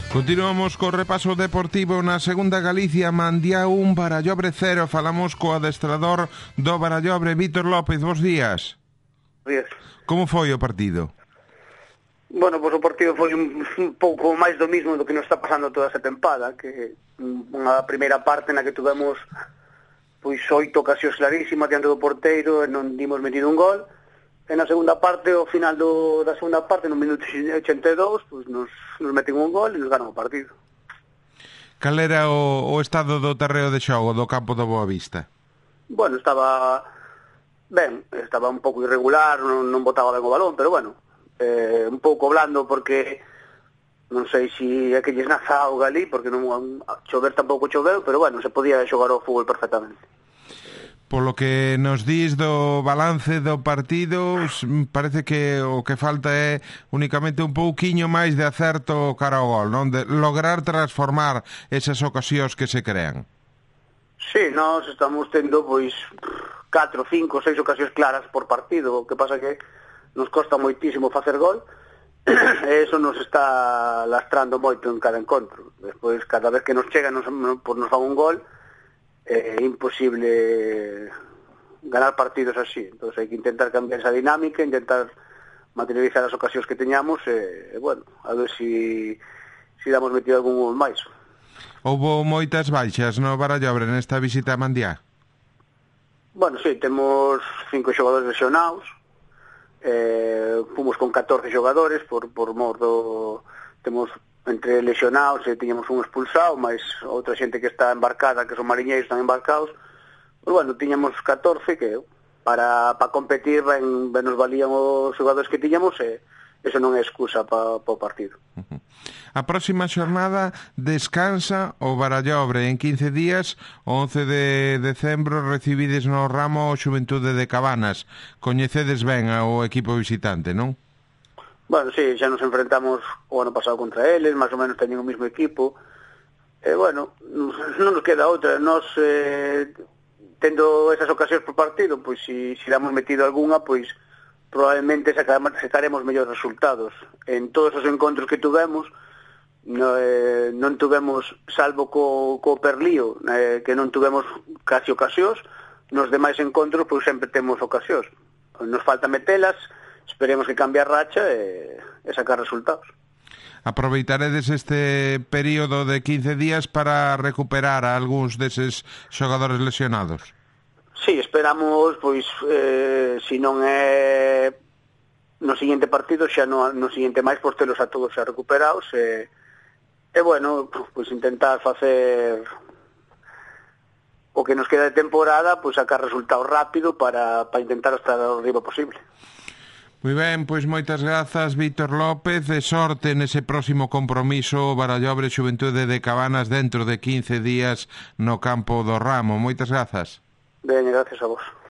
Continuamos co repaso deportivo na segunda Galicia. Mandiá 1, Barallobre 0. Falamos co adestrador do Barallobre, Vítor López. Bos días. Días. Como foi o partido? Bueno, pois o partido foi un pouco máis do mismo do que nos está pasando toda esa tempada, que unha primeira parte na que tuvemos pois 8 ocasións clarísimas diante do porteiro e non dimos metido un gol. E na segunda parte, ao final da segunda parte, no minuto 82, pois nos meten un gol e nos ganan o partido. Cal era o estado do terreo de xogo do campo do Boavista? Bueno, estaba ben, estaba un pouco irregular, non botaba ben o balón, pero bueno, un pouco blando porque non sei se é que lles naza auga ali, porque non chover tampouco choveu, pero bueno, se podía xogar ao fútbol perfectamente. Polo que nos dís do balance do partido, parece que o que falta é únicamente un pouquiño máis de acerto cara ao gol, non? De lograr transformar esas ocasións que se crean. Sí, nós estamos tendo pois 4, 5, 6 ocasións claras por partido, o que pasa que nos costa moitísimo facer gol, e eso nos está lastrando moito en cada encontro. Despois, cada vez que nos chega, nos fan un gol, é imposible ganar partidos así. Entón hai que intentar cambiar esa dinámica, intentar materializar as ocasións que teñamos e bueno, a ver si damos metido algún gol máis. Houbo moitas baixas no Barallobre nesta visita a Mandiá? Bueno, sí, temos 5 xogadores lesionados, fomos con 14 xogadores por mor do... Temos entre lesionados e tiñamos un expulsado, máis outra xente que está embarcada, que son mariñeiros están embarcados. Pero bueno, tiñamos 14 que para competir ben nos valían os xogadores que tiñamos e eso non é excusa para o partido. A próxima xornada descansa o Barallobre. En 15 días, o 11 de decembro, recibides no ramo o Xuventude de Cabanas. Coñecedes ben ao equipo visitante, non? Bueno, sí, xa nos enfrentamos o ano pasado contra eles, máis ou menos teñen o mismo equipo. Bueno, non nos queda outra. Nos, tendo esas ocasións por partido, pois se damos metido algunha, pois probablemente sacaremos mellores resultados. En todos os encontros que tuvemos, non tuvemos, salvo co Perlío, que non tuvemos casi ocasións, nos demais encontros, pois sempre temos ocasións. Nos falta metelas, esperemos que cambie a racha e sacar resultados. Aproveitaredes este período de 15 días para recuperar a algúns deses xogadores lesionados? Sí, esperamos, pois, se non é no seguinte partido, xa no seguinte máis, pois telos a todos xa recuperados e bueno, pois intentar facer o que nos queda de temporada, pois sacar resultados rápido para intentar estar arriba posible. Moi ben, pois moitas grazas, Vítor López, de sorte nese próximo compromiso Barallobre Xuventude de Cabanas dentro de 15 días no campo do Ramo. Moitas grazas. Ben, gracias a vos.